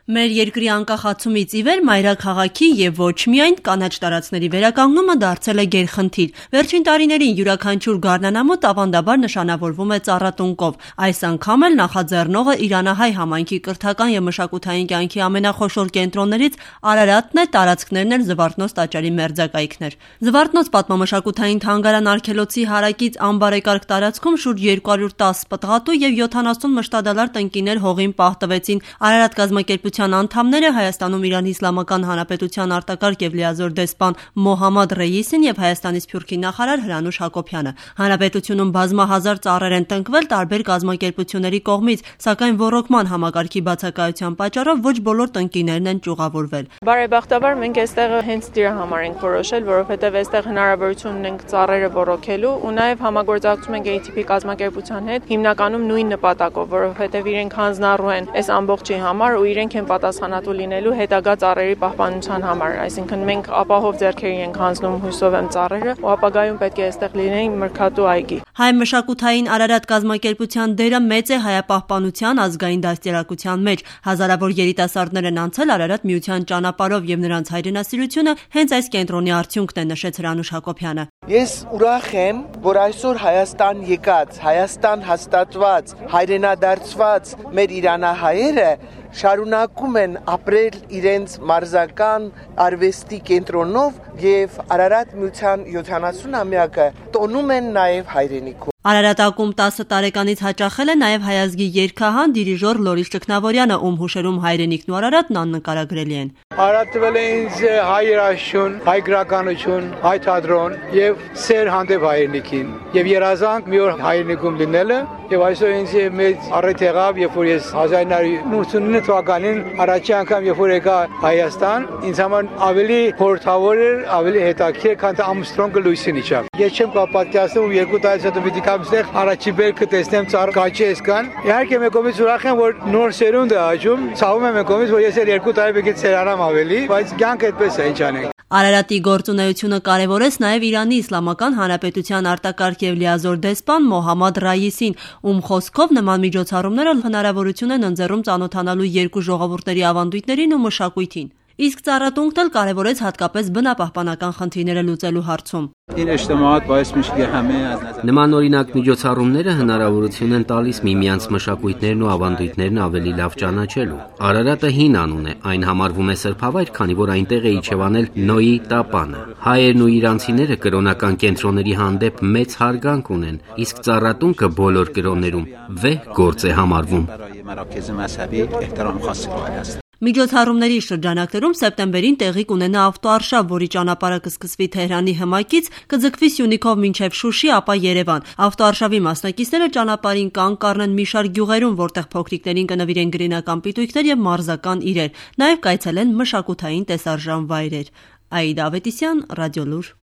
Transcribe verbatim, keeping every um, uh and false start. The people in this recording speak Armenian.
Մեր երկրի անկախացումից ի վեր մայրաքաղաքի և ոչ միայն կանաչ տարածքների վերականգնումը դարձել է գերխնդիր։ Վերջին տարիներին յուրաքանչյուր գարնանամուտ ավանդաբար նշանավորվում է ծառատունկով։ Այս անգամ էլ նախաձեռնողը իրանահայ համայնքի կրթական և մշակութային կյանքի ամենախոշոր կենտրոններից Արարատն է, տարածքներն էլ Զվարթնոց տաճարի մերձակայքն էր։ Զվարթնոց պատմամշակութային թանգարան-արգելոցի հարակից անբարեկարգ տարածքում շուրջ երկու հարյուր տասը պտղատու և յոթանասուն մշտադալար տնկիներ հողին պահտվեցին։ Արարատ կազմակերպության անդամները Հայաստանում Իրանի Իսլամական Հանրապետության արտակարգ և լիազոր դեսպան Մոհամմադ Ռեյիսին և Հայաստանի Սփյուռքի նախարար Հրանուշ Հակոբյանը։ Հանրապետությունում բազմահազար ծառեր են տնկվել տարբեր կազմակերպությունների կողմից, սակայն ոռոգման համակարգի բացակայության պատճառով ոչ բոլոր տնկիներն են ճյուղավորվել։ Բարեբախտաբար մենք այստեղ հենց դրա համար ենք որոշել, որովհետև այստեղ հնարավորություն ունենք ծառերը ոռոգելու ու նաև համագործակցում ենք A T P կազմակերպության հետ հիմնականում նույն նպատակով, որովհետև իրենք հանձնառու են այս ամբողջի համար ու իրենք են պատասխանատու լինելու հետագա ծառերի պահպանության համար, այսինքն մենք ապահով ձեռքերի ենք հանձնում հույսով եմ ծառերը ու ապագայում պետք է այստեղ լինեն մրգատու այգի։ Հայ մշակութային Արարատ կազմակերպության դերը մեծ է հայապահպանության ազգային դաստիարակության մեջ։ Հազարավոր երիտասարդներ են անցել Արարատ միության ճանապարհով և նրանց հայրենասիրությունը հենց այս կենտրոնի արդյունքն է, նշեց Հրանուշ Հակոբյանը։ Ես ուրախ եմ, որ այսօր Հայաստան եկած, Հայաստան հաստատված, հայրենադարձված մեր իրանահայերը շարունակում են ապրել իրենց մարզական արվեստի կենտրոնով և Արարատ միության յոթանասունամյակը տոնում են նաև հայրենիքում։ Արարատակում տասը տարեկանից հաճախել է նաև հայ ազգի երգահան դիրիժոր Լորիս Ճգնավորյանը, ում հուշերում հայրենիքն ու Արարատն աննկարագրելի են։ Արարատ տվել է ինձ հայ երաժշտություն, հայ գրականություն, հայ թատրոն և սեր հանդեպ հայրենիքին և երազանք մի օր հայրենիքում լինելը և այսօր ինձ մեծ առիթ եղավ, երբ որ ես հազար ինը հարյուր ութսունինը թվականին առաջի անգամ երբ որ եկա Հայաստան, ինձ համար ավելի խորհրդավոր էր, ավելի հետաքրքիր, քան թե Ամսթրոնգը լույսին իջավ։ Ես չեմ կարող պատկերացնել, ու երկու տարից հետո պիտի կամ ստեղ առաջի բերքը տեսնեմ ծառ կաչի էսկան։ Իհարկե մեկ կողմից ուրախ եմ, որ նոր սերունդ է աճում, ցավում եմ մեկ կողմից, որ ես էլ երկու տարի պետք է ցերանամ ավելի, բայց կյանքը այդպես է, ինչ անենք։ Արարատի գործունեությունը կարևորեց նաև Իրանի Իսլամական Հանրապետության արտակարգ և լիազոր դեսպան Մոհամմադ Ռայիսին, ում խոսքով նման միջոցառումները հնարավորություն են ընձեռում ծանոթանալու երկու ժողովուրդների ավանդույթներին ու մշակույթին։ Իսկ ծառատունկն էլ կարևորեց հատկապես բնապահպանական խնդիրները լուծելու հարցում։ Նմանօրինակ միջոցառումները հնարավորություն են տալիս միմյանց մշակույթներն ու ավանդույթներն ավելի լավ ճանաչելու։ Արարատը հին անուն է, այն համարվում է սրբավայր, քանի որ այնտեղ է իջևանել Նոյի տապանը։ Հայերն ու իրանցիները կրոնական կենտրոնների հանդեպ մեծ հարգանք ունեն, իսկ ծառատունկը բոլոր կրոններում վեհ գործ է համարվում։ Միջոցառումների շրջանակներում սեպտեմբերին տեղի կունենա ավտոարշավ, որի ճանապարհը կսկսվի Թեհրանի հմայքից, կձգվի Սյունիքով մինչև Շուշի, ապա Երևան։ Ավտոարշավի մասնակիցները ճանապարհին կանգ կառնեն մի շարք գյուղերում, որտեղ փոքրիկներին կնվիրեն գրինական պիտույքներ և մարզական իրեր։ Նաև կայցելեն մշակութային տեսարժան վայրեր։ Աիդա Ավետիսյան, Ռադիոլուր։